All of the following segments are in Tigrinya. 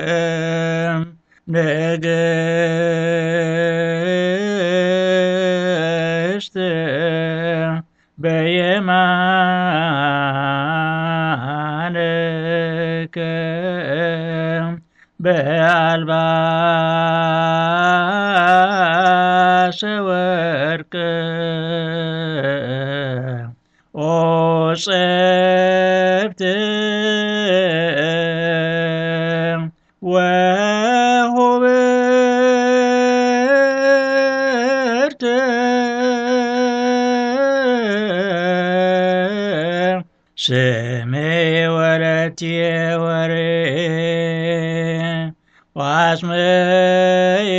ወትቀውም ንግስት በየማንከ በአልባሰ ወርቅ ኦ ጽብት ወሁብርት ስሜ ወለትየ ወሬ ዋጽመይ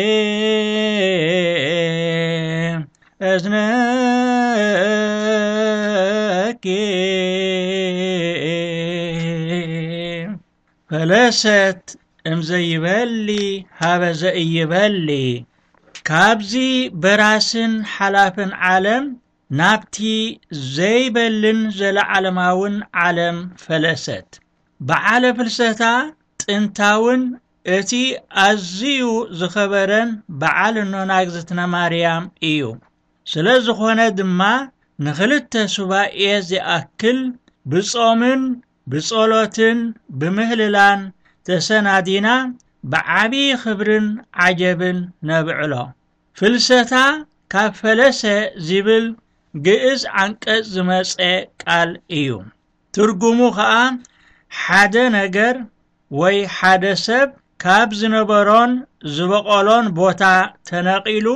እዝነኪ። ፈለሰት እምዘይበሊ ሃበ ዘእይበሊ፣ ካብዚ በራስን ሓላፍን ዓለም ናብቲ ዘይበልን ዘለዓለማውን ዓለም ፈለሰት። በዓለ ፍልሰታ ጥንታውን እቲ ኣዝዩ ዝኸበረን በዓል እኖና እግዝእትነ ማርያም እዩ። ስለ ዝኾነ ድማ ንኽልተ ሱባኤ ዝኣክል ብጾምን ብጸሎትን ብምህልላን ተሰናዲና ብዓቢ ክብርን ዓጀብን ነብዕሎ። ፍልሰታ ካብ ፈለሰ ዝብል ግእዝ ዓንቀጽ ዝመጸ ቃል እዩ። ትርጉሙ ኸኣ ሓደ ነገር ወይ ሓደ ሰብ ካብ ዝነበሮን ዝበቐሎን ቦታ ተነቒሉ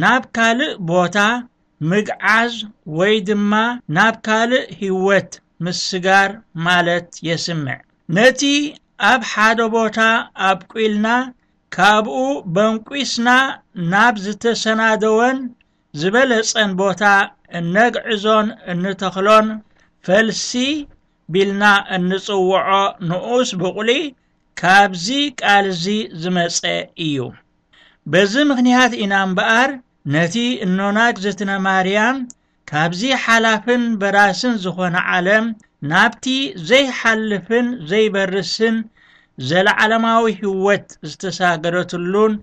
ናብ ካልእ ቦታ ምግዓዝ ወይ ድማ ናብ ካልእ ህይወት ምስጋር ማለት የስምዕ። ነቲ ኣብ ሓደ ቦታ ኣብቁልና ካብኡ በንቂስና ናብ ዝተሰናደወን ዝበለጸን ቦታ እነግዕዞን እንተኽሎን ፈልሲ ቢልና እንጽውዖ ንኡስ ብቑሊ ካብዚ ቃል እዚ ዝመጸ እዩ። በዚ ምኽንያት ኢና እምበኣር ነቲ እኖና እግዝእትነ ማርያም ካብዚ ሓላፍን በራስን ዝኾነ ዓለም ናብቲ ዘይሓልፍን ዘይበርስን ዘለዓለማዊ ህይወት ዝተሳገረትሉን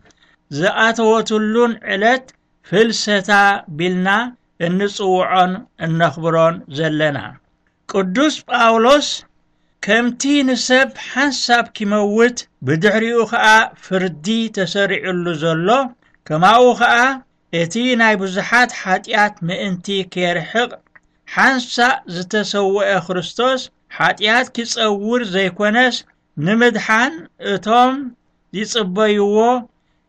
ዝኣተወትሉን ዕለት ፍልሰታ ቢልና እንጽውዖን እነኽብሮን ዘለና። ቅዱስ ጳውሎስ ከምቲ ንሰብ ሓንሳብ ኪመውት ብድሕሪኡ ኸኣ ፍርዲ ተሰሪዑሉ ዘሎ፣ ከማኡ ኸኣ እቲ ናይ ብዙሓት ሓጢኣት ምእንቲ ኬርሕቕ ሓንሳእ ዝተሰውአ ክርስቶስ ሓጢኣት ኪጸውር ዘይኮነስ ንምድሓን እቶም ይጽበይዎ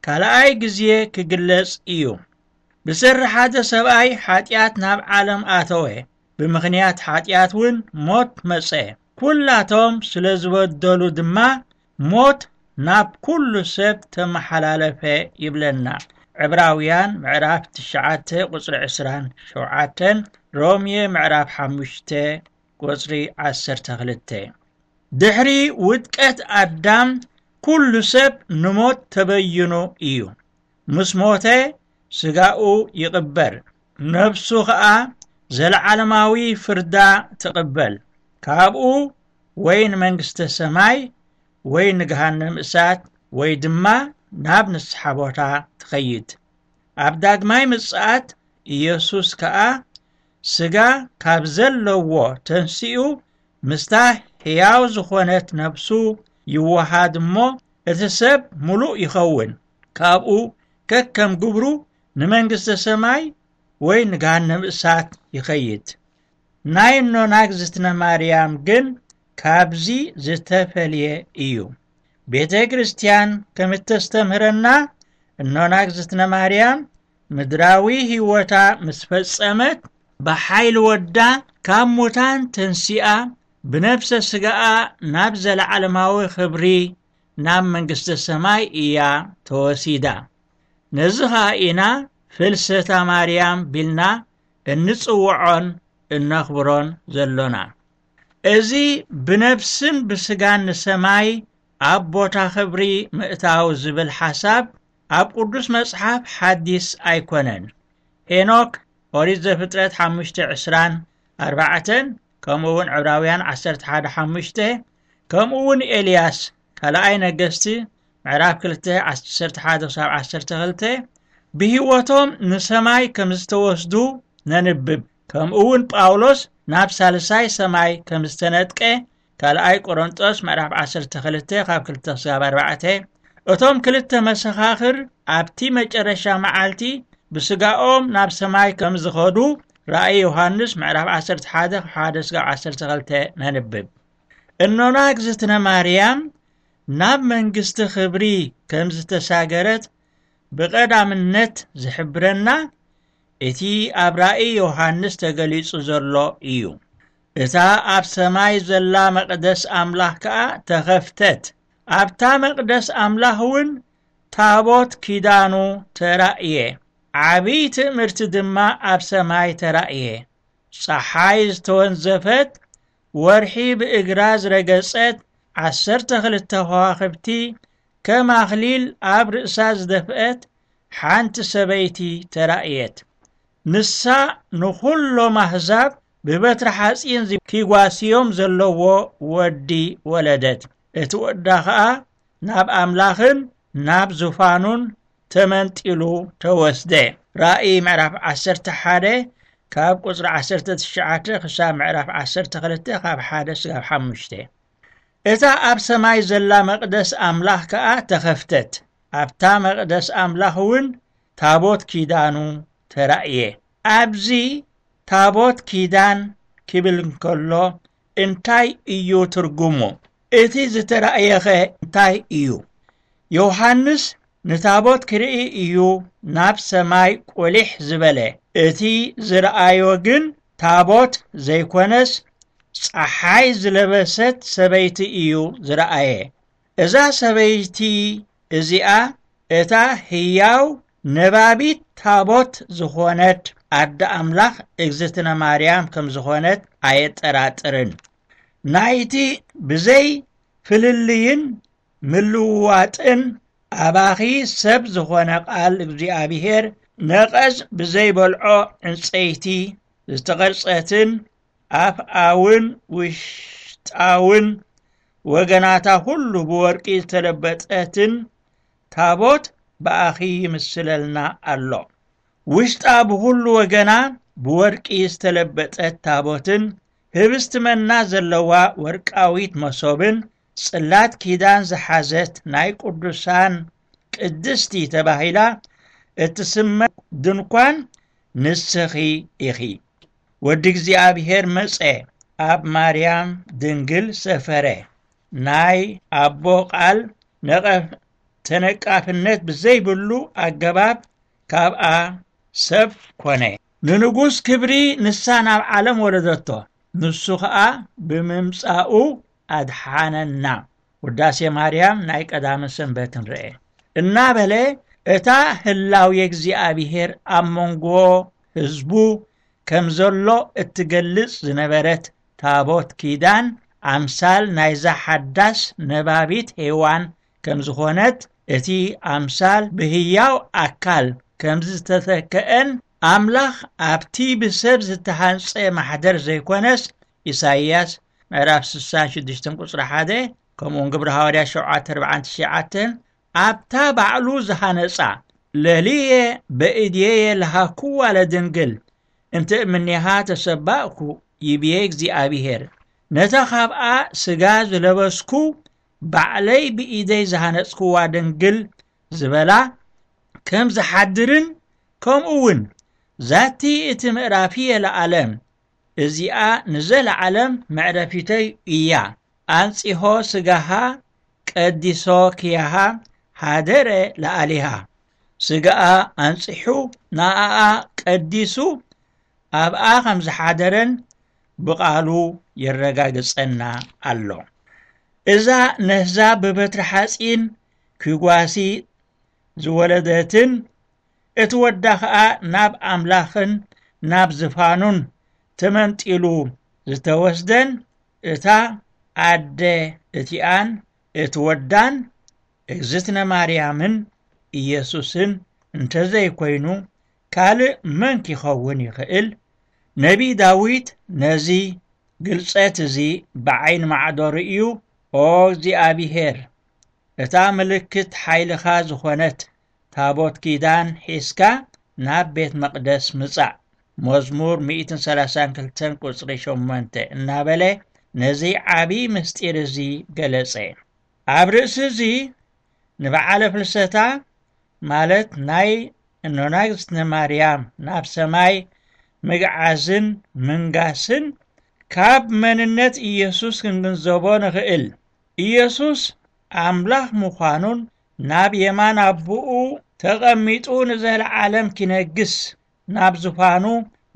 ካልኣይ ግዜ ክግለጽ እዩ። ብሰሪ ሓደ ሰብኣይ ሓጢኣት ናብ ዓለም ኣተወ፣ ብምኽንያት ሓጢኣት እውን ሞት መጸ። ኩላቶም ስለ ዝበደሉ ድማ ሞት ናብ ኩሉ ሰብ ተመሓላለፈ ይብለና። ዕብራውያን ምዕራፍ ትሽዓተ ቁጽሪ ዕስራን ሸውዓተን፣ ሮሜ ምዕራፍ ሓሙሽተ ቁጽሪ ዓሰርተ ክልተ። ድሕሪ ውድቀት ኣዳም ኩሉ ሰብ ንሞት ተበይኑ እዩ። ምስ ሞተ ስጋኡ ይቕበር፣ ነፍሱ ኸኣ ዘለዓለማዊ ፍርዳ ትቕበል። ካብኡ ወይ ንመንግስተ ሰማይ ወይ ንገሃነም እሳት ወይ ድማ ናብ ንስሓ ቦታ ትኸይድ። ኣብ ዳግማይ ምጽኣት ኢየሱስ ከኣ ስጋ ካብ ዘለዎ ተንሲኡ ምስታ ሕያው ዝኾነት ነፍሱ ይወሃድ እሞ እቲ ሰብ ምሉእ ይኸውን። ካብኡ ከከም ግብሩ ንመንግስተ ሰማይ ወይ ንገሃነም እሳት ይኸይድ። ናይ እኖና እግዝእትነ ማርያም ግን ካብዚ ዝተፈልየ እዩ። ቤተ ክርስቲያን ከም እተስተምህረና እኖና እግዝእትነ ማርያም ምድራዊ ህይወታ ምስ ፈጸመት ብሓይሊ ወዳ ካብ ሙታን ተንሲኣ ብነፍሰ ስጋኣ ናብ ዘለዓለማዊ ክብሪ ናብ መንግስተ ሰማይ እያ ተወሲዳ። ነዚ ኸኣ ኢና ፍልሰታ ማርያም ቢልና እንጽውዖን እነኽብሮን ዘሎና። እዚ ብነፍስን ብስጋን ንሰማይ ኣብ ቦታ ክብሪ ምእታው ዝብል ሓሳብ ኣብ ቅዱስ መጽሓፍ ሓዲስ ኣይኮነን። ሄኖክ፣ ኦሪት ዘፍጥረት ሓሙሽተ ዕስራን ኣርባዕተን፣ ከምኡ እውን ዕብራውያን ዓሰርተ ሓደ ሓሙሽተ፣ ከምኡ እውን ኤልያስ፣ ካልኣይ ነገስቲ ምዕራፍ ክልተ ዓሰርተ ሓደ ክሳብ ዓሰርተ ክልተ፣ ብህይወቶም ንሰማይ ከም ዝተወስዱ ነንብብ። ከምኡ እውን ጳውሎስ ናብ ሳልሳይ ሰማይ ከም ዝተነጥቀ፣ ካልኣይ ቆሮንጦስ ምዕራፍ ዓሰርተ ክልተ ካብ ክልተ ክሳብ ኣርባዕተ፣ እቶም ክልተ መሰኻኽር ኣብቲ መጨረሻ መዓልቲ ብስጋኦም ናብ ሰማይ ከም ዝኸዱ ራእይ ዮሃንስ ምዕራፍ ዓሰርተ ሓደ ካብ ሓደ ክሳብ ዓሰርተ ክልተ ነንብብ። እኖና እግዝእትነ ማርያም ናብ መንግስቲ ክብሪ ከም ዝተሳገረት ብቐዳምነት ዝሕብረና እቲ ኣብ ራእይ ዮሃንስ ተገሊጹ ዘሎ እዩ። እታ ኣብ ሰማይ ዘላ መቕደስ ኣምላኽ ከኣ ተኸፍተት። ኣብታ መቕደስ ኣምላኽ እውን ታቦት ኪዳኑ ተራእየ። ዓብዪ ትእምርቲ ድማ ኣብ ሰማይ ተራእየ። ጸሓይ ዝተወንዘፈት፣ ወርሒ ብእግራ ዝረገጸት፣ ዓሰርተ ክልተ ከዋኽብቲ ከም ኣኽሊል ኣብ ርእሳ ዝደፍአት ሓንቲ ሰበይቲ ተራእየት። ንሳ ንኹሎም ኣህዛብ ብበትሪ ሓጺን ኪጓስዮም ዘለዎ ወዲ ወለደት። እቲ ወዳ ኸኣ ናብ ኣምላኽን ናብ ዙፋኑን ተመንጢሉ ተወስደ። ራእይ ምዕራፍ ዓሰርተ ሓደ ካብ ቁጽሪ ዓሰርተ ትሽዓተ ክሳብ ምዕራፍ ዓሰርተ ክልተ ካብ ሓደ ስጋብ ሓሙሽተ። እታ ኣብ ሰማይ ዘላ መቕደስ ኣምላኽ ከኣ ተኸፍተት። ኣብታ መቕደስ ኣምላኽ እውን ታቦት ኪዳኑ ተራእየ። ኣብዚ ታቦት ኪዳን ክብል እንከሎ እንታይ እዩ ትርጉሙ? እቲ ዝተራእየኸ እንታይ እዩ? ዮሃንስ ንታቦት ክርኢ እዩ ናብ ሰማይ ቁሊሕ ዝበለ። እቲ ዝረኣዮ ግን ታቦት ዘይኮነስ ጸሓይ ዝለበሰት ሰበይቲ እዩ ዝረኣየ። እዛ ሰበይቲ እዚኣ እታ ህያው ነባቢት ታቦት ዝኾነት ኣደ ኣምላኽ እግዝእትነ ማርያም ከም ዝኾነት ኣየጠራጥርን። ናይቲ ብዘይ ፍልልይን ምልውዋጥን ኣባኺ ሰብ ዝኾነ ቃል እግዚኣብሔር ነቐዝ ብዘይበልዖ ዕንጸይቲ ዝተቐርጸትን ኣፍኣውን ውሽጣውን ወገናታ ኩሉ ብወርቂ ዝተለበጠትን ታቦት ብኣኺ ይምስለልና ኣሎ። ውሽጣ ብኹሉ ወገና ብወርቂ ዝተለበጠት ታቦትን ህብስቲ መና ዘለዋ ወርቃዊት መሶብን ጽላት ኪዳን ዝሓዘት ናይ ቅዱሳን ቅድስቲ ተባሂላ እትስመ ድንኳን ንስኺ ኢኺ። ወዲ እግዚኣብሔር መጸ፣ ኣብ ማርያም ድንግል ሰፈረ። ናይ ኣቦ ቃል ነቐፍ-፣ ተነቃፍነት ብዘይብሉ ኣገባብ ካብኣ ሰብ ኮነ። ንንጉስ ክብሪ ንሳ ናብ ዓለም ወለደቶ፣ ንሱ ኸኣ ብምምጻኡ ኣድሓነና። ውዳሴ ማርያም ናይ ቀዳመ ሰንበት ንርኤ። እናበለ እታ ህላዌ እግዚኣብሔር ኣብ መንጎ ህዝቡ ከም ዘሎ እትገልጽ ዝነበረት ታቦት ኪዳን ኣምሳል ናይዛ ሓዳስ ነባቢት ሄዋን ከም ዝኾነት፣ እቲ ኣምሳል ብህያው ኣካል ከም ዝተተክአን ኣምላኽ ኣብቲ ብሰብ ዝተሃንጸ ማሕደር ዘይኮነስ፣ ኢሳይያስ ምዕራፍ ስሳን ሽዱሽተን ቁጽሪ ሓደ፣ ከምኡውን ግብሪ ሃዋርያ ሸውዓተ ኣርባዓን ትሽዓተን፣ ኣብታ ባዕሉ ዝሃነጻ፣ ለልየ በእድየየ ለሃኩዋ ለድንግል፣ እንተ እምኔሃ ተሰባእኩ፣ ይብዬ እግዚኣብሔር። ነታ ካብኣ ስጋ ዝለበስኩ፣ ባዕለይ ብኢደይ ዝሃነጽክዋ ድንግል ዝበላ፣ ከም ዝሓድርን፣ ከምኡ እውን ዛቲ እቲ ምዕራፍየ ለዓለም፣ እዚኣ ንዘለዓለም መዕረፊተይ እያ። ኣንጺሆ ስጋሃ ቀዲሶ ክያሃ ሃደረ ለኣሊሃ። ስጋኣ ኣንጺሑ ንኣኣ ቀዲሱ ኣብኣ ከም ዝሓደረን ብቓሉ የረጋግጸና ኣሎ። እዛ ነህዛ ብበትሪ ሓጺን ኪጓሲ ዝወለደትን እቲ ወዳ ኸኣ ናብ ኣምላኽን ናብ ዝፋኑን ተመንጢሉ ዝተወስደን እታ ኣደ እቲኣን እቲ ወዳን እግዝእትነ ማርያምን ኢየሱስን እንተዘይኮይኑ ካልእ መን ኪኸውን ይኽእል? ነቢይ ዳዊት ነዚ ግልጸት እዚ ብዓይኒ ማዕዶ ርእዩ፣ "ኦ እግዚኣብሔር፣ እታ ምልክት ሓይልኻ ዝኾነት ታቦት ኪዳን ሒዝካ ናብ ቤት መቕደስ ምጻእ፣ መዝሙር ሚእትን ሰላሳን ክልተን ቁጽሪ ሸሞንተ" እናበለ ነዚ ዓቢ ምስጢር እዚ ገለጸ። ኣብ ርእሲ እዚ ንበዓለ ፍልሰታ ማለት ናይ እኖና እግዝእትነ ማርያም ናብ ሰማይ ምግዓዝን ምንጋስን ካብ መንነት ኢየሱስ ክንግንዘቦ ንኽእል። ኢየሱስ ኣምላኽ ምዃኑን ናብ የማን ኣቦኡ ተቐሚጡ ንዘለዓለም ኪነግስ ናብ ዙፋኑ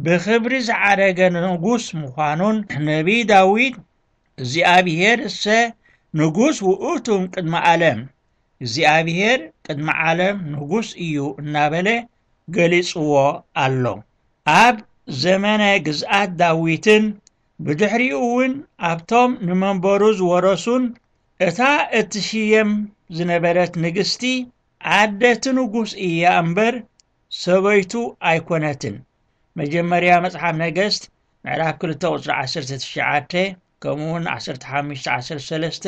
ብኽብሪ ዝዓረገ ንጉስ ምዃኑን ነቢይ ዳዊት "እግዚኣብሔር እሰ ንጉስ ውእቱ ቅድመ ዓለም፣ እግዚኣብሔር ቅድመ ዓለም ንጉስ እዩ" እናበለ ገሊጽዎ ኣሎ። ኣብ ዘመነ ግዝኣት ዳዊትን ብድሕሪኡ እውን ኣብቶም ንመንበሩ ዝወረሱን እታ እትሽየም ዝነበረት ንግስቲ ዓደቲ ንጉስ እያ እምበር ሰበይቱ ኣይኮነትን። መጀመርያ መጽሓፍ ነገስት ምዕራፍ ክልተ ቁጽሪ ዓሰርተ ትሽዓተ፣ ከምኡ እውን ዓሰርተ ሓሙሽተ ዓሰርተ ሰለስተ፣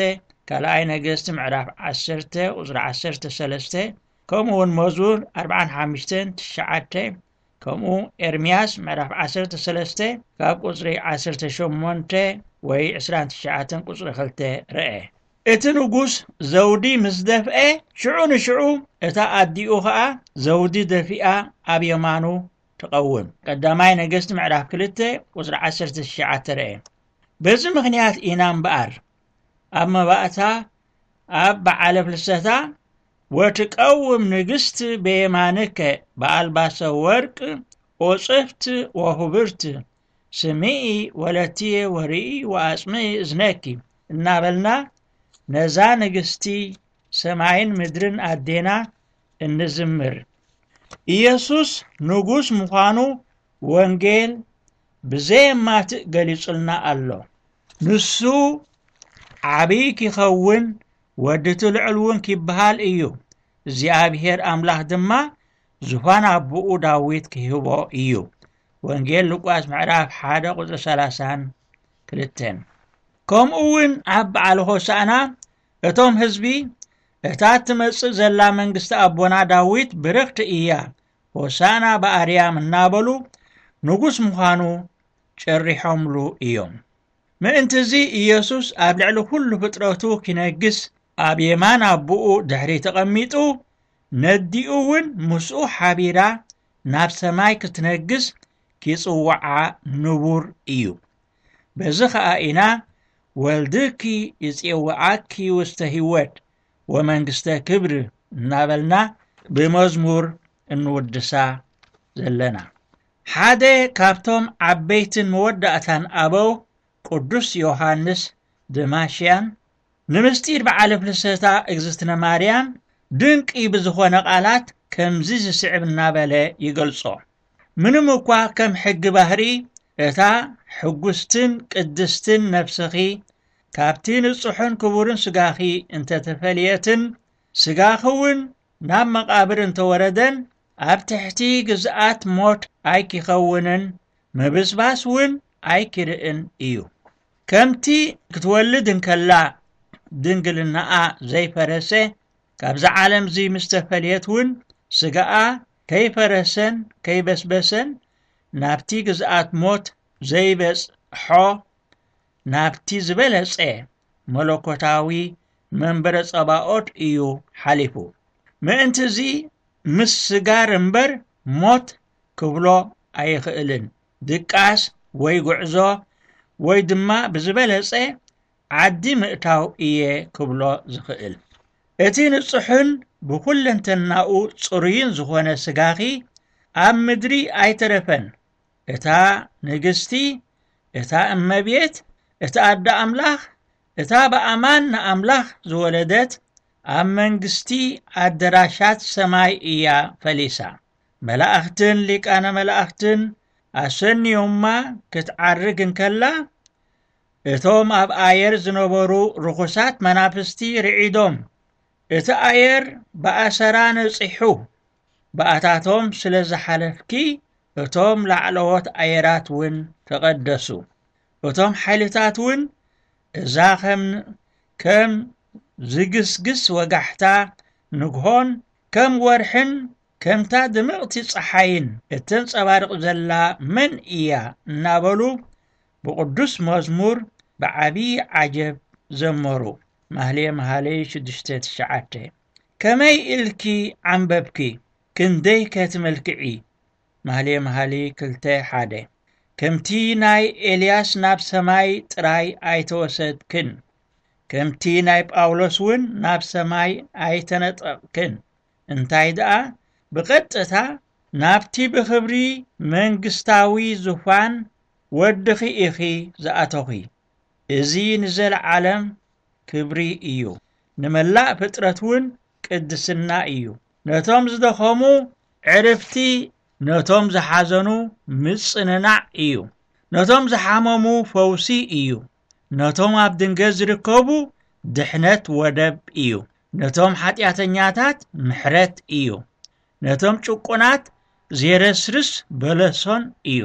ካልኣይ ነገስት ምዕራፍ ዓሰርተ ቁጽሪ ዓሰርተ ሰለስተ፣ ከምኡ እውን መዝሙር ኣርብዓን ሓሙሽተን ትሽዓተ፣ ከምኡ ኤርምያስ ምዕራፍ ዓሰርተ ሰለስተ ካብ ቁጽሪ ዓሰርተ ሸሞንተ ወይ ዕስራን ትሽዓተን ቁጽሪ ክልተ ረአ። እቲ ንጉስ ዘውዲ ምስ ደፍአ፣ ሽዑ ንሽዑ እታ ኣዲኡ ኸኣ ዘውዲ ደፊኣ ኣብ የማኑ ትቐውም። ቀዳማይ ነገስቲ ምዕራፍ ክልተ ቁጽሪ ዓሰርተ ትሽዓተ ረአ። በዚ ምኽንያት ኢና እምበኣር ኣብ መባእታ ኣብ በዓለ ፍልሰታ "ወትቀውም ንግስት በየማንከ በኣልባሰ ወርቅ ኦጽፍት ወሁብርት ስምዒ ወለትየ ወርኢ ወኣጽምዒ እዝነኪ" እናበልና ነዛ ንግስቲ ሰማይን ምድርን ኣዴና እንዝምር። ኢየሱስ ንጉስ ምዃኑ ወንጌል ብዘየማትእ ገሊጹልና ኣሎ። ንሱ ዓብዪ ኪኸውን፣ ወዲ እቲ ልዑል እውን ኪበሃል እዩ። እግዚኣብሔር ኣምላኽ ድማ ዙፋን ኣቦኡ ዳዊት ኪህቦ እዩ። ወንጌል ሉቃስ ምዕራፍ ሓደ ቁጽሪ ሰላሳን ክልተን። ከምኡ እውን ኣብ በዓል ሆሳዕና እቶም ህዝቢ፣ "እታ እትመጽእ ዘላ መንግስቲ ኣቦና ዳዊት ብርኽቲ እያ፣ ሆሳዕና ብኣርያም" እናበሉ ንጉስ ምዃኑ ጨሪሖምሉ እዮም። ምእንቲ እዚ ኢየሱስ ኣብ ልዕሊ ኩሉ ፍጥረቱ ኪነግስ ኣብ የማን ኣቦኡ ድሕሪ ተቐሚጡ፣ ነዲኡ እውን ምስኡ ሓቢራ ናብ ሰማይ ክትነግስ ኪጽውዓ ንቡር እዩ። በዚ ኸኣ ኢና "ወልድኪ ይጼውዓኪ ውስተ ህይወት ወመንግስተ ክብር" እናበልና ብመዝሙር እንውድሳ ዘለና። ሓደ ካብቶም ዓበይትን መወዳእታን ኣበው ቅዱስ ዮሃንስ ደማሽያን ንምስጢር በዓለ ፍልሰታ እግዝእትነ ማርያም ድንቂ ብዝኾነ ቃላት ከምዚ ዝስዕብ እናበለ ይገልጾ። ምንም እኳ ከም ሕጊ ባህሪ እታ ሕጉስትን ቅድስትን ነፍስኺ ካብቲ ንጹሕን ክቡርን ስጋኺ እንተተፈልየትን፣ ስጋኺ እውን ናብ መቓብር እንተወረደን፣ ኣብ ትሕቲ ግዝኣት ሞት ኣይኪኸውንን፣ ምብስባስ እውን ኣይኪርእን እዩ። ከምቲ ክትወልድ እንከላ ድንግልናኣ ዘይፈረሰ፣ ካብዛ ዓለም እዚ ምስ ተፈልየት እውን ስጋኣ ከይፈረሰን ከይበስበሰን ናብቲ ግዝኣት ሞት ዘይበጽሖ ናብቲ ዝበለጸ መለኮታዊ መንበረ ጸባኦት እዩ ሓሊፉ። ምእንቲ እዚ ምስ ስጋር እምበር ሞት ክብሎ ኣይኽእልን። ድቃስ ወይ ጉዕዞ ወይ ድማ ብዝበለጸ ዓዲ ምእታው እየ ክብሎ ዝኽእል። እቲ ንጹሕን ብኹለንተናኡ ጽሩይን ዝኾነ ስጋኺ ኣብ ምድሪ ኣይተረፈን። እታ ንግስቲ፣ እታ እመቤት፣ እታ ኣደ ኣምላኽ፣ እታ ብኣማን ንኣምላኽ ዝወለደት ኣብ መንግስቲ ኣደራሻት ሰማይ እያ ፈሊሳ። መላእኽትን ሊቃነ መላእኽትን ኣሰንዮማ ክትዓርግ እንከላ፣ እቶም ኣብ ኣየር ዝነበሩ ርኹሳት መናፍስቲ ርዒዶም፣ እቲ ኣየር ብኣሰራ ነጺሑ፣ ብኣታቶም ስለ ዝሓለፍኪ፣ እቶም ላዕለዎት ኣየራት እውን ተቐደሱ። እቶም ሓይልታት እውን፣ እዛ ከም፣ ከም ዝግስግስ ወጋሕታ ንግሆን ከም ወርሕን ከምታ ድምቕቲ ጸሓይን እተንጸባርቕ ዘላ መን እያ? እናበሉ ብቕዱስ መዝሙር ብዓቢ ዓጀብ ዘመሩ። ማህሌ መሃሌ ሽዱሽተ ትሽዓተ። ከመይ ኢልኪ ዓንበብኪ? ክንደይ ከትመልክዒ? ማህሌ መሃሊ ክልተ ሓደ። ከምቲ ናይ ኤልያስ ናብ ሰማይ ጥራይ ኣይተወሰድክን፣ ከምቲ ናይ ጳውሎስ እውን ናብ ሰማይ ኣይተነጠቕክን። እንታይ ደኣ፣ ብቐጥታ ናብቲ ብኽብሪ መንግስታዊ ዙፋን ወድኺ ኢኺ ዝኣተኺ። እዚ ንዘለዓለም ክብሪ እዩ። ንመላእ ፍጥረት እውን ቅድስና እዩ። ነቶም ዝደኸሙ ዕርፍቲ፣ ነቶም ዝሓዘኑ ምጽንናዕ እዩ። ነቶም ዝሓመሙ ፈውሲ እዩ። ነቶም ኣብ ድንገት ዝርከቡ ድሕነት ወደብ እዩ። ነቶም ሓጢኣተኛታት ምሕረት እዩ። ነቶም ጭቁናት ዜረስርስ በለሶን እዩ።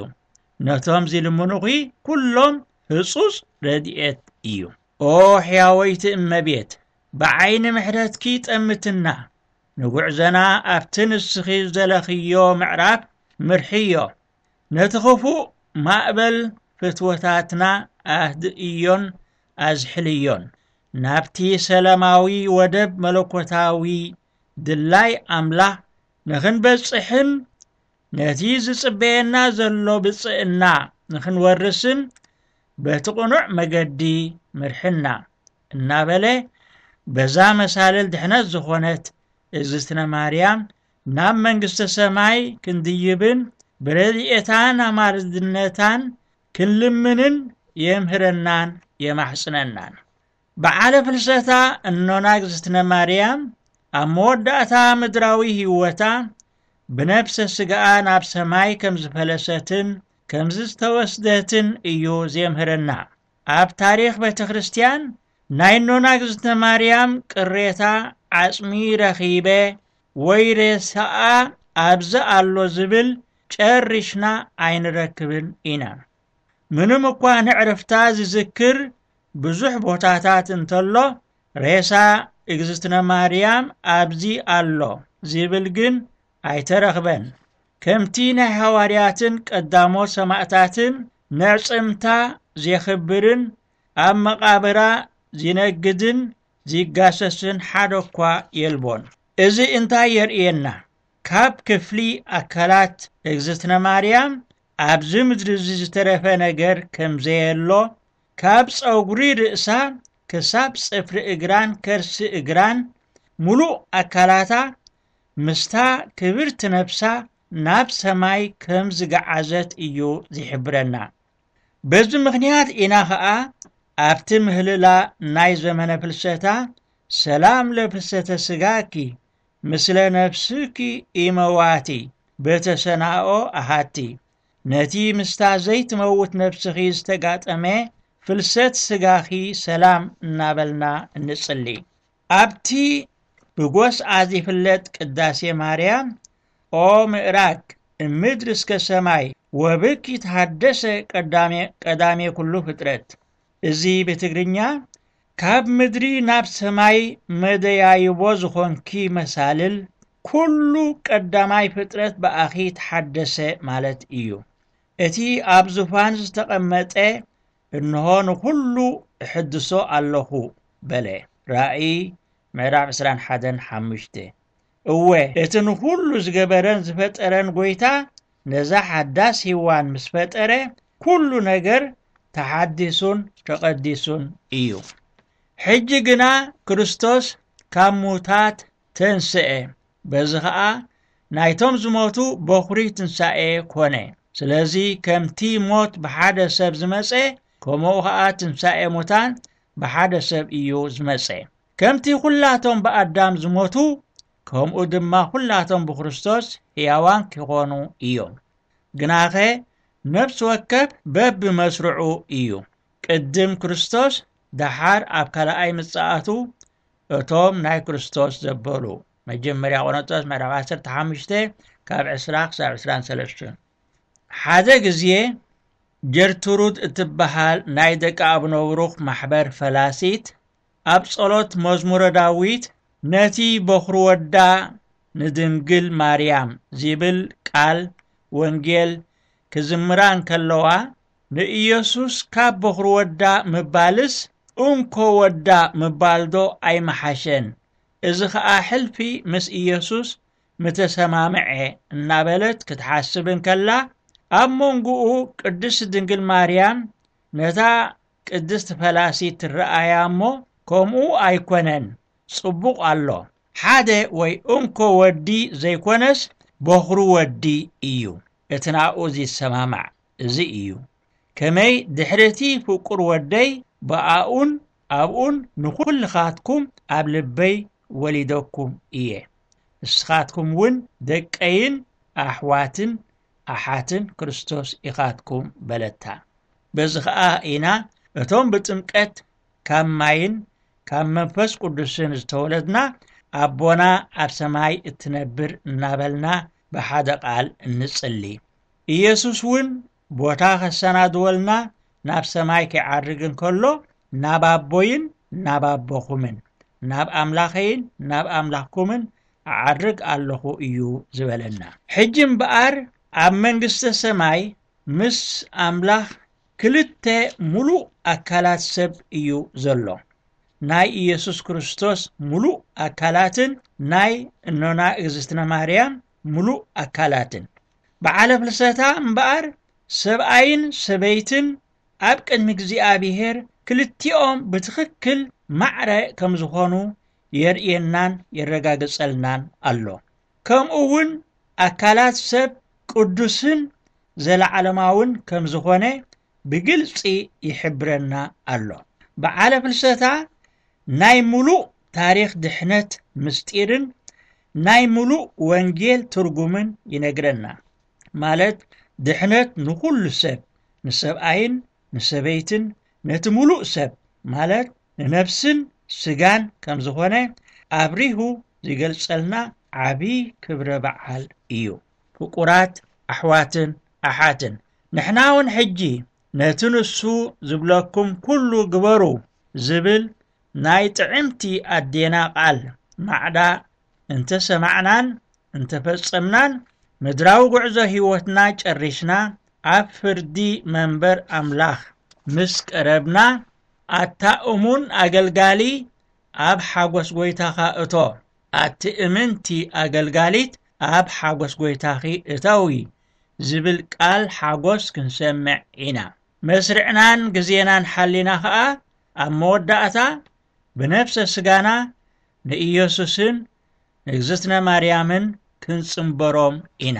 ነቶም ዝልምኑኺ ኩሎም ህጹጽ ረድኤት እዩ። ኦ ሕያወይቲ እመቤት፣ ብዓይኒ ምሕረትኪ ጠምትና፣ ንጉዕዘና ኣብቲ ንስኺ ዘለኽዮ ምዕራፍ ምርሕዮ። ነቲ ኽፉእ ማእበል ፍትወታትና ኣህድእዮን ኣዝሕልዮን። ናብቲ ሰላማዊ ወደብ መለኮታዊ ድላይ ኣምላኽ ንኽንበጽሕን ነቲ ዝጽበየና ዘሎ ብጽእና ንኽንወርስን በቲ ቅኑዕ መገዲ ምርሕና እናበለ በዛ መሳልል ድሕነት ዝኾነት እግዝእትነ ማርያም ናብ መንግስተ ሰማይ ክንድይብን ብረድኤታን ኣማልድነታን ክንልምንን የምህረናን የማሕጽነናን። በዓለ ፍልሰታ እኖና እግዝእትነ ማርያም ኣብ መወዳእታ ምድራዊ ህይወታ ብነፍሰ ስጋኣ ናብ ሰማይ ከም ዝፈለሰትን ከም ዝተወስደትን እዩ ዜምህረና። ኣብ ታሪኽ ቤተ ክርስቲያን ናይ እኖና እግዝእትነ ማርያም ቅሬታ ዓጽሚ ረኺበ ወይ ሬሳኣ ኣብዚ ኣሎ ዝብል ጨሪሽና ኣይንረክብን ኢና። ምንም እኳ ንዕርፍታ ዝዝክር ብዙሕ ቦታታት እንተሎ፣ ሬሳ እግዝእትነ ማርያም ኣብዚ ኣሎ ዝብል ግን ኣይተረኽበን። ከምቲ ናይ ሃዋርያትን ቀዳሞት ሰማእታትን ነዕጽምታ ዜኽብርን ኣብ መቓብራ ዚነግድን ዚጋሰስን ሓደ እኳ የልቦን። እዚ እንታይ የርእየና? ካብ ክፍሊ ኣካላት እግዝእትነ ማርያም ኣብዚ ምድሪ እዚ ዝተረፈ ነገር ከም ዘየሎ፣ ካብ ጸጉሪ ርእሳ ክሳብ ጽፍሪ እግራን ከርሲ እግራን፣ ምሉእ ኣካላታ ምስታ ክብርቲ ነፍሳ ናብ ሰማይ ከም ዝገዓዘት እዩ ዝሕብረና። በዚ ምኽንያት ኢና ኸኣ ኣብቲ ምህልላ ናይ ዘመነ ፍልሰታ፣ ሰላም ለፍልሰተ ስጋኪ ምስለ ነፍስኪ ኢመዋቲ በተሰናኦ ኣሃቲ፣ ነቲ ምስታ ዘይትመውት ነፍስኺ ዝተጋጠመ ፍልሰት ስጋኺ ሰላም እናበልና እንጽሊ። ኣብቲ ብጎስዓ ዚፍለጥ ቅዳሴ ማርያም፣ ኦ ምእራግ እምድር እስከ ሰማይ ወብኪ ተሃደሰ ቀዳሜ፣ ቀዳሜ ኩሉ ፍጥረት። እዚ ብትግርኛ፣ ካብ ምድሪ ናብ ሰማይ መደያይቦ ዝኾንኪ መሳልል፣ ኩሉ ቀዳማይ ፍጥረት ብኣኺ ተሓደሰ ማለት እዩ። እቲ ኣብ ዙፋን ዝተቐመጠ፣ እንሆ ንኹሉ እሕድሶ ኣለኹ በለ። ራእይ ምዕራፍ ዕስራን ሓደን ሓሙሽተ። እወ፣ እቲ ንኹሉ ዝገበረን ዝፈጠረን ጐይታ፣ ነዛ ሓዳስ ሄዋን ምስ ፈጠረ፣ ኩሉ ነገር ተሓዲሱን ተቐዲሱን እዩ። ሕጂ ግና ክርስቶስ ካብ ሙታት ተንስአ፣ በዚ ኸኣ ናይቶም ዝሞቱ በኹሪ ትንሳኤ ኮነ። ስለዚ ከምቲ ሞት ብሓደ ሰብ ዝመጸ፣ ከምኡ ኸኣ ትንሳኤ ሙታን ብሓደ ሰብ እዩ ዝመጸ። ከምቲ ኹላቶም ብኣዳም ዝሞቱ፣ ከምኡ ድማ ኹላቶም ብክርስቶስ ሕያዋን ኪኾኑ እዮም። ግናኸ ነፍሲ ወከፍ በብመስርዑ እዩ። ቅድም ክርስቶስ፣ ደሓር ኣብ ካልኣይ ምጽኣቱ፣ እቶም ናይ ክርስቶስ ዘበሉ። መጀመርያ ቆሮንቶስ ምዕራፍ ዓሰርተ ሓሙሽተ ካብ ዕስራ ክሳብ ዕስራን ሰለስተን። ሓደ ግዜ ጀርትሩድ እትበሃል ናይ ደቂ ኣቡነ ብሩኽ ማሕበር ፈላሲት ኣብ ጸሎት መዝሙረ ዳዊት ነቲ በኹሪ ወዳ ንድንግል ማርያም ዚብል ቃል ወንጌል ክዝምራ እንከለዋ፣ ንኢየሱስ ካብ በኹሪ ወዳ ምባልስ እንኮ ወዳ ምባልዶ ኣይመሓሸን? እዚ ኸኣ ሕልፊ ምስ ኢየሱስ ምተሰማምዐ እናበለት ክትሓስብ እንከላ፣ ኣብ መንጎኡ ቅድስት ድንግል ማርያም ነታ ቅድስት ፈላሲት ትረኣያ እሞ፣ ከምኡ ኣይኮነን፣ ጽቡቕ ኣሎ። ሓደ ወይ እንኮ ወዲ ዘይኮነስ በኹሪ ወዲ እዩ። እቲ ናብኡ ዚሰማማዕ እዚ እዩ። ከመይ ድሕሪ እቲ ፍቁር ወደይ ብኣኡን ኣብኡን ንኹልኻትኩም ኣብ ልበይ ወሊደኩም እየ። ንስኻትኩም እውን ደቀይን ኣሕዋትን ኣሓትን ክርስቶስ ኢኻትኩም በለታ። በዚ ኸኣ ኢና እቶም ብጥምቀት ካብ ማይን ካብ መንፈስ ቅዱስን ዝተወለድና ኣቦና ኣብ ሰማይ እትነብር እናበልና ብሓደ ቃል እንጽሊ። ኢየሱስ እውን ቦታ ከሰናድወልና ናብ ሰማይ ኪዓርግ እንከሎ ናብ ኣቦይን ናብ ኣቦኹምን ናብ ኣምላኸይን ናብ ኣምላኽኩምን እዓርግ ኣለኹ እዩ ዝበለና። ሕጂ እምበኣር ኣብ መንግስተ ሰማይ ምስ ኣምላኽ ክልተ ምሉእ ኣካላት ሰብ እዩ ዘሎ። ናይ ኢየሱስ ክርስቶስ ምሉእ ኣካላትን ናይ እኖና እግዝእትነ ማርያም ምሉእ ኣካላትን። በዓለ ፍልሰታ እምበኣር ሰብኣይን ሰበይትን ኣብ ቅድሚ እግዚኣብሔር ክልቲኦም ብትኽክል ማዕረ ከም ዝኾኑ የርእየናን የረጋግጸልናን ኣሎ። ከምኡ እውን ኣካላት ሰብ ቅዱስን ዘለዓለማውን ከም ዝኾነ ብግልጺ ይሕብረና ኣሎ። በዓለ ፍልሰታ ናይ ምሉእ ታሪኽ ድሕነት ምስጢርን ናይ ምሉእ ወንጌል ትርጉምን ይነግረና። ማለት ድሕነት ንኹሉ ሰብ፣ ንሰብኣይን ንሰበይትን፣ ነቲ ምሉእ ሰብ፣ ማለት ንነፍስን ስጋን ከም ዝኾነ ኣብሪሁ ዝገልጸልና ዓቢ ክብረ በዓል እዩ። ፍቁራት ኣሕዋትን ኣሓትን፣ ንሕና እውን ሕጂ ነቲ ንሱ ዝብለኩም ኩሉ ግበሩ ዝብል ናይ ጥዕምቲ ኣዴና ቃል ማዕዳ እንተ ሰማዕናን እንተ ፈጸምናን፣ ምድራዊ ጉዕዞ ህይወትና ጨሪሽና ኣብ ፍርዲ መንበር ኣምላኽ ምስ ቀረብና፣ ኣታ እሙን ኣገልጋሊ ኣብ ሓጎስ ጐይታኻ እቶ፣ ኣቲ እምንቲ ኣገልጋሊት ኣብ ሓጎስ ጐይታኺ እተዊ ዝብል ቃል ሓጎስ ክንሰምዕ ኢና። መስርዕናን ግዜናን ሓሊና ኸኣ ኣብ መወዳእታ ብነፍሰ ስጋና ንኢየሱስን ንእግዝእትነ ማርያምን ክንጽንበሮም ኢና።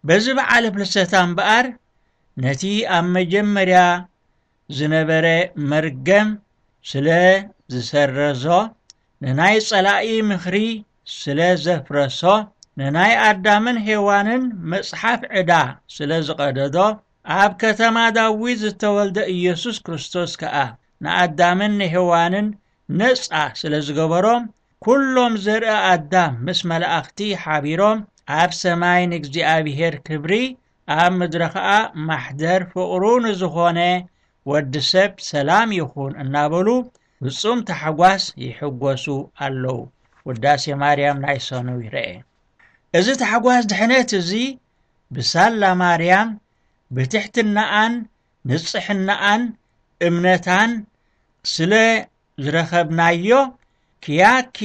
በዚ በዓለ ፍልሰታ እምበኣር ነቲ ኣብ መጀመርያ ዝነበረ መርገም ስለ ዝሰረዞ፣ ንናይ ጸላኢ ምኽሪ ስለ ዘፍረሶ፣ ንናይ ኣዳምን ሄዋንን መጽሓፍ ዕዳ ስለ ዝቐደዶ፣ ኣብ ከተማ ዳዊት ዝተወልደ ኢየሱስ ክርስቶስ ከኣ ንኣዳምን ንሄዋንን ነጻ ስለ ዝገበሮም፣ ኩሎም ዘርኢ ኣዳም ምስ መላእኽቲ ሓቢሮም ኣብ ሰማይ ንእግዚኣብሔር ክብሪ፣ ኣብ ምድሪ ኸኣ ማሕደር ፍቕሩ ንዝኾነ ወዲ ሰብ ሰላም ይኹን እናበሉ ፍጹም ታሕጓስ ይሕጎሱ ኣለዉ። ውዳሴ ማርያም ናይ ሰኑይ ርኤ። እዚ ታሕጓስ ድሕነት እዚ ብሳላ ማርያም ብትሕትናኣን ንጽሕናኣን እምነታን ስለ ዝረኸብናዮ፣ ኪያኪ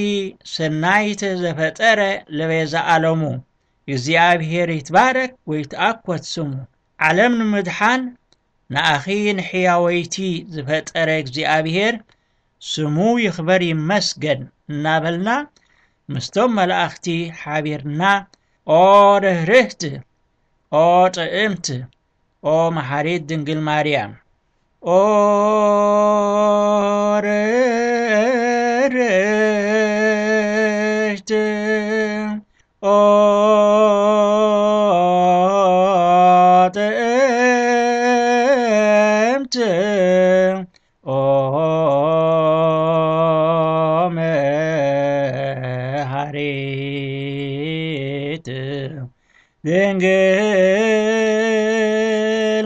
ሰናይተ ዘፈጠረ ለቤዛ ዓለሙ፣ እግዚኣብሔር ይትባረክ ወይትኣኮት ስሙ። ዓለም ንምድሓን ንኣኺ ንሕያወይቲ ዝፈጠረ እግዚኣብሔር ስሙ ይኽበር ይመስገን እናበልና ምስቶም መላእኽቲ ሓቢርና፣ ኦ ርህርህቲ፣ ኦ ጥዕምቲ፣ ኦ መሓሪት ድንግል ማርያም፣ ኦ ርህርህቲ፣ ኦ ጥዕምቲ፣ ኦ ድንግል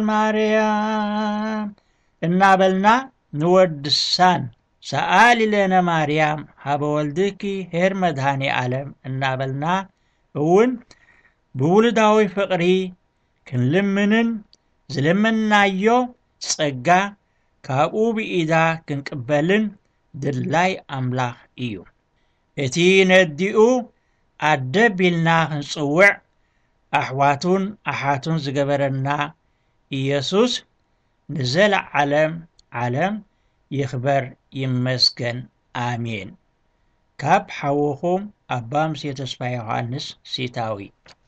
ማርያም እናበልና ንወድሳን። ሰኣሊ ለነ ማርያም ሃበ ወልድኪ ኄር መድኃኔ ዓለም እናበልና እውን ብውሉዳዊ ፍቕሪ ክንልምንን ዝለመንናዮ ጸጋ ካብኡ ብኢዳ ክንቅበልን ድላይ ኣምላኽ እዩ። እቲ ነዲኡ ኣደ ቢልና ክንጽውዕ ኣሕዋቱን ኣሓቱን ዝገበረና ኢየሱስ ንዘለዓለም ዓለም ይኽበር ይመስገን። ኣሜን። ካብ ሓውኹም ኣባ ሙሴ ተስፋ ዮሃንስ ሲታዊ።